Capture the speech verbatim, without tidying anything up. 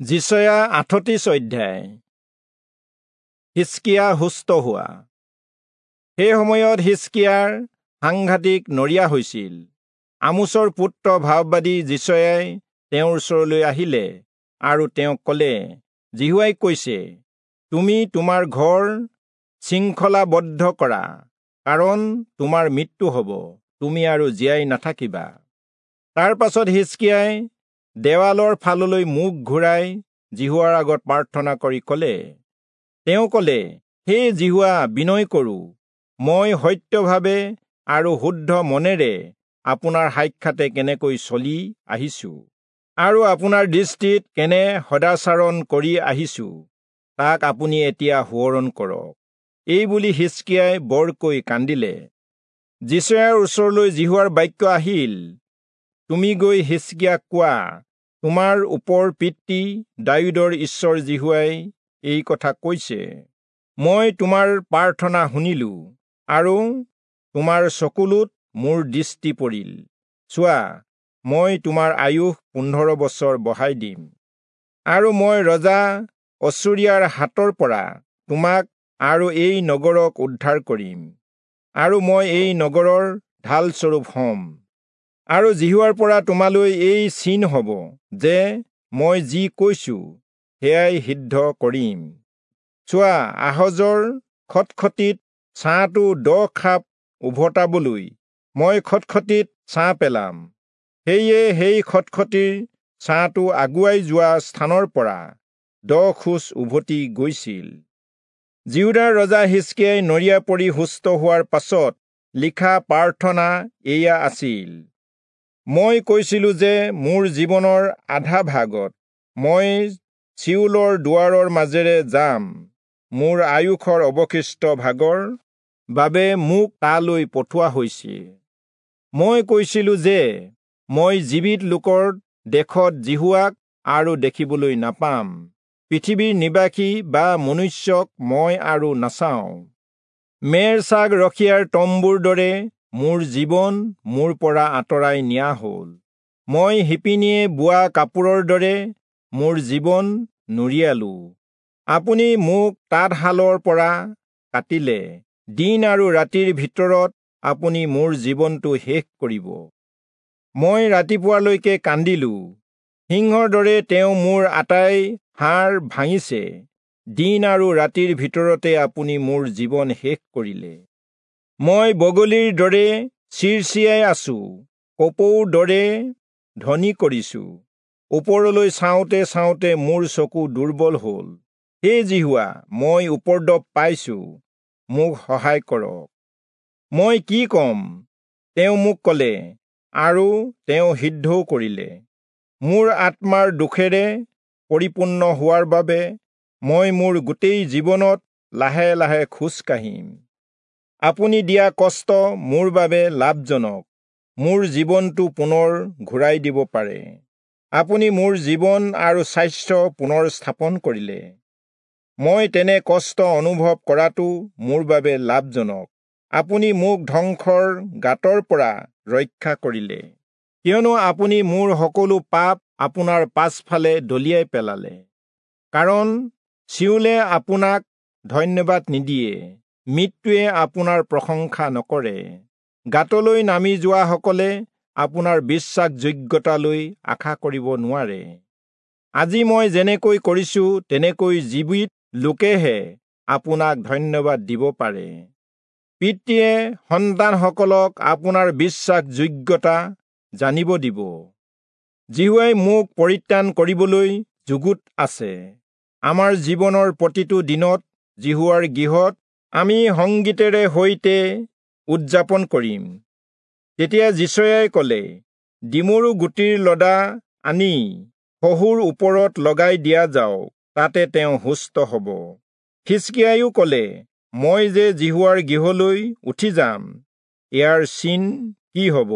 যিচয়া আঠত্ৰিশ অধ্যায়। হিষ্কিয়া সুস্থ হোৱা। সেই সময়ত হিষ্কিয়াৰ সাংঘাতিক নৰিয়া হৈছিল। আমোচৰ পুত্ৰ ভাববাদী যিচয়াই তেওঁৰ ওচৰলৈ আহিলে আৰু তেওঁক ক'লে, যিহোৱাই কৈছে, তুমি তোমাৰ ঘৰ শৃংখলাবদ্ধ কৰা, কাৰণ তোমাৰ মৃত্যু হ'ব, তুমি আৰু জীয়াই নাথাকিবা। তাৰ পাছত হিষ্কিয়াই দেৱালৰ ফাললৈ মুখ ঘূৰাই যিহোৱাৰ আগত প্ৰাৰ্থনা কৰি ক'লে, তেওঁ ক'লে, হে যিহোৱা, বিনয় কৰোঁ, মই সত্যভাৱে আৰু শুদ্ধ মনেৰে আপোনাৰ সাক্ষাতে কেনেকৈ চলি আহিছোঁ আৰু আপোনাৰ দৃষ্টিত কেনে সদাচাৰণ কৰি আহিছোঁ, তাক আপুনি এতিয়া সোঁৱৰণ কৰক। এই বুলি হিষ্কিয়াই বৰকৈ কান্দিলে। যিচয়াৰ ওচৰলৈ যিহোৱাৰ বাক্য আহিল, তুমি গৈ হিষ্কিয়াক কোৱা, তোমাৰ ওপৰ পিতৃ দায়ূদৰ ঈশ্বৰ যিহোৱাই এই কথা কৈছে, মই তোমাৰ প্ৰাৰ্থনা শুনিলোঁ আৰু তোমাৰ চকুলোত মোৰ দৃষ্টি পৰিল। চোৱা, মই তোমাৰ আয়ুস পোন্ধৰ বছৰ বঢ়াই দিম, আৰু মই ৰজা অচুৰীয়াৰ হাতৰ পৰা তোমাক আৰু এই নগৰক উদ্ধাৰ কৰিম, আৰু মই এই নগৰৰ ঢালস্বৰূপ হ'ম। আৰু যিহোৱাৰ পৰা তোমালৈ এই চিন হ'ব যে মই যি কৈছোঁ সেয়াই সিদ্ধ কৰিম। চোৱা, আহজৰ খটখটিত ছাঁটো দহ খাপ উভতাবলৈ মই খটখটিত ছাঁ পেলাম। সেয়ে সেই খটখটিৰ ছাঁটো আগুৱাই যোৱা স্থানৰ পৰা দহ খোজ উভতি গৈছিল। যিহূদাৰ ৰজা হিষ্কিয়াই নৰিয়া পৰি সুস্থ হোৱাৰ পাছত লিখা প্ৰাৰ্থনা এয়া আছিল, মই কৈছিলোঁ যে মোৰ জীৱনৰ আধা ভাগত মই চিয়োলৰ দুৱাৰৰ মাজেৰে যাম, মোৰ আয়ুসৰ অৱশিষ্ট ভাগৰ বাবে মোক তালৈ পঠোৱা হৈছে। মই কৈছিলোঁ যে মই জীৱিত লোকৰ দেশত যিহোৱাক আৰু দেখিবলৈ নাপাম, পৃথিৱীৰ নিবাসী বা মনুষ্যক মই আৰু নাচাওঁ। মেৰ ছাগ ৰখীয়াৰ তম্বুৰ দৰে মোৰ জীৱন মোৰ পৰা আঁতৰাই নিয়া হ'ল, মই শিপিনীয়ে বোৱা কাপোৰৰ দৰে মোৰ জীৱন নুৰিয়ালোঁ। আপুনি মোক তাঁতশালৰ পৰা কাটিলে, দিন আৰু ৰাতিৰ ভিতৰত আপুনি মোৰ জীৱনটো শেষ কৰিব। মই ৰাতিপুৱালৈকে কান্দিলোঁ, সিংহৰ দৰে তেওঁ মোৰ আটাই হাড় ভাঙিছে, দিন আৰু ৰাতিৰ ভিতৰতে আপুনি মোৰ জীৱন শেষ কৰিলে। মই বগলীৰ দৰে চিৰচিয়াই আছোঁ, কপৌৰ দৰে ধ্বনি কৰিছোঁ। ওপৰলৈ চাওঁতে চাওঁতে মোৰ চকু দুৰ্বল হ'ল। হে যিহোৱা, মই উপদ্ৰৱ পাইছোঁ, মোক সহায় কৰক। মই কি ক'ম? তেওঁ মোক ক'লে, আৰু তেওঁ সিদ্ধও কৰিলে। মোৰ আত্মাৰ দুখেৰে পৰিপূৰ্ণ হোৱাৰ বাবে মই মোৰ গোটেই জীৱনত লাহে লাহে খোজ কাঢ়িম। আপুনি দিয়া কষ্ট মোৰ বাবে লাভজনক, মোৰ জীৱনটো পুনৰ ঘূৰাই দিব পাৰে। আপুনি মোৰ জীৱন আৰু স্বাস্থ্য পুনৰ স্থাপন কৰিলে। মই তেনে কষ্ট অনুভৱ কৰাটো মোৰ বাবে লাভজনক। আপুনি মোক ধ্বংসৰ গাঁতৰ পৰা ৰক্ষা কৰিলে, কিয়নো আপুনি মোৰ সকলো পাপ আপোনাৰ পাছফালে দলিয়াই পেলালে। কাৰণ চিয়োলে আপোনাক ধন্যবাদ নিদিয়ে, মৃত্যুৱে আপোনাৰ প্ৰশংসা নকৰে। গাঁতলৈ নামি যোৱাসকলে আপোনাৰ বিশ্বাসযোগ্যতালৈ আশা কৰিব নোৱাৰে। আজি মই যেনেকৈ কৰিছোঁ তেনেকৈ জীৱিত লোকেহে আপোনাক ধন্যবাদ দিব পাৰে। পিতৃয়ে সন্তানসকলক আপোনাৰ বিশ্বাসযোগ্যতা জানিব দিব। যিহোৱাই মোক পৰিত্ৰাণ কৰিবলৈ যুগুত আছে। আমাৰ জীৱনৰ প্ৰতিটো দিনত যিহোৱাৰ গৃহত আমি সংগীতেৰে সৈতে উদযাপন কৰিম। তেতিয়া যিচয়াই ক'লে, ডিমৰু গুটিৰ লদা আনি শহুৰ ওপৰত লগাই দিয়া যাওক, তাতে তেওঁ সুস্থ হ'ব। হিষ্কিয়াইও ক'লে, মই যে যিহোৱাৰ গৃহলৈ উঠি যাম, ইয়াৰ চিন কি হ'ব?